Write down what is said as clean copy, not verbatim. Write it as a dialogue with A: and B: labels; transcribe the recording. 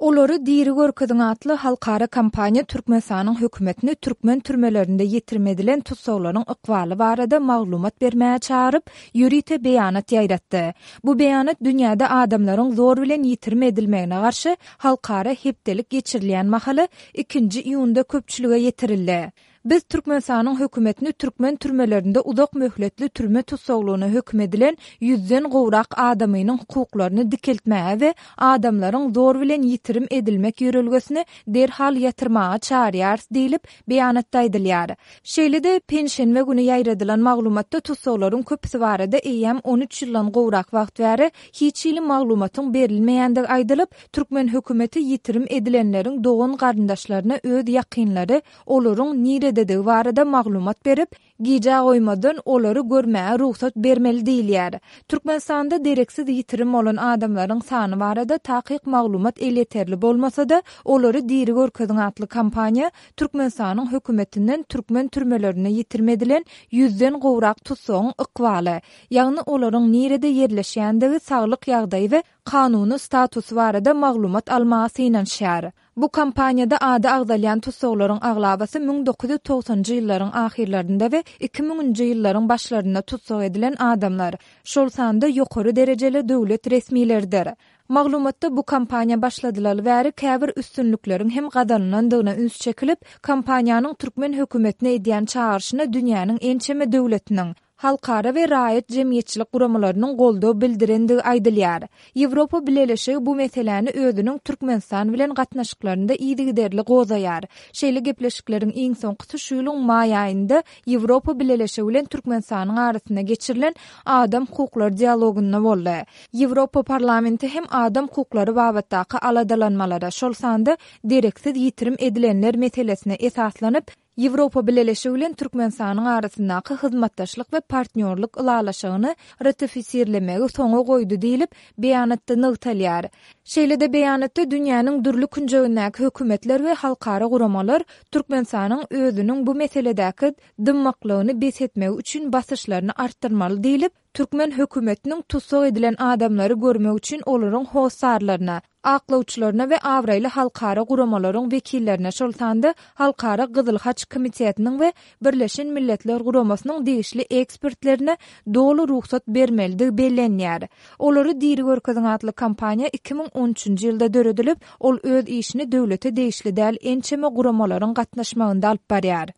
A: Olary diri görkeziň atly halkara kampaniýa Türkmenistanyň hökümetini türkmen türmelerinde ýitirim edilen tussaglaryň ykbaly barada maglumat bermäge çagyryp, ýörite beýanat ýaýratdy. Bu beýanat dünýäde adamlaryň zor bilen ýitirim edilmegine garşy halkara hepdelik geçirilýän mahaly ikinji iýunda köpçülige ýetirildi. Biz Türkmenistanyň hökümetini türkmen türmelerinde uzak möhletli türme tussaglygyna höküm edilen ýüzden gowrak adamynyň hukuklaryny dikeltmäge we adamlaryň zor bilen ýitirim edilmek ýörelgesini derhal ýatyrmaga çagyrýarys diýlip, beýanatda aýdylýar. Şeýle-de, penşenbe güni ýaýradylan maglumatda tussaglaryň köpüsi barada eýýäm 13 ýyldan gowrak wagt bäri hiç hili maglumatyň berilmeýändigi aýdylyp, türkmen hökümeti ýitirim edilenleriň dogan-garyndaşlaryna öz ýakynlary olaryň nirededigi barada maglumat berip, gijä goýmazdan olary görmäge rugsat bermeli diýilýär. Türkmenistanda dereksiz ýitirim bolan adamlaryň sany barada takyk maglumat elýeterli bolmasa-da, Olary diri görkeziň atly kampaniýa Türkmenistanyň hökümetinden türkmen türmelerinde ýitirim edilen ýüzden gowrak tussagyň ykbaly, ýagny olaryň nirede ýerleşýändigi, saglyk ýagdaýy we kanuny statusy barada maglumat almaga synanyşýar. Bu kampaniýada ady agzalýan tussaglaryň aglabasy 1990-njy ýyllaryň ahyrlarynda we iki müňünji ýyllaryň başlarynda tussag edilen adamlar, şol sanda ýokary derejeli döwlet resmileridir. Maglumatda bu kampaniýa başladylaly bäri käbir üstünlikleriň hem gazanylandygyna üns çekilip, kampaniýanyň türkmen hökümetine edýän çagyryşyna dünýäniň ençeme döwletiniň, halkara we raýat jemgyýetçilik guramalarynyň goldaw bildirendigi aýdylýar. Ýewropa Bileleşigi bu meseläni özüniň Türkmenistan bilen gatnaşyklarynda yzygiderli gozaýar. Şeýle gepleşikleriň iň soňkusy şu ýylyň maý aýynda Ýewropa Bileleşigi bilen Türkmenistanyň arasynda geçirilen adam hukuklary dialogynda boldy. Ýewropa Parlamenti hem adam hukuklary babatdaky aladalanmalara, şol sanda dereksiz ýitirim edilenler meselesine esaslanyp, Ýewropa Bileleşigi bilen Türkmenistanyň arasyndaky hyzmatdaşlyk we partnýorlyk ylalaşygyny ratifisirlemegi soňa goýdy diýlip, beýanatda nygtalýar. Şeýle-de beýanatda dünýäniň dürli künjegindäki hökümetler we halkara guramalar Türkmenistanyň özüniň bu meseledäki dymmaklygyny bes etmegi üçin basyşlaryny artdyrmaly diýlip, Türkmen hökümetiniň tussag edilen adamlary görmek üçin olaryň hossarlaryna, aklawçylaryna we abraýly halkara guramalaryň wekillerine, şol sanda Halkara Gyzyl Haç Komitetiniň we Birleşen Milletler Guramasynyň degişli ekspertlerine doly rugsat bermelidigi bellenýär. Olary diri görkeziň atly kampaniýa 2013-nji ýylda döredilip, ol öz işini döwlete degişli däl ençeme guramalaryň gatnaşmagynda alyp barýar.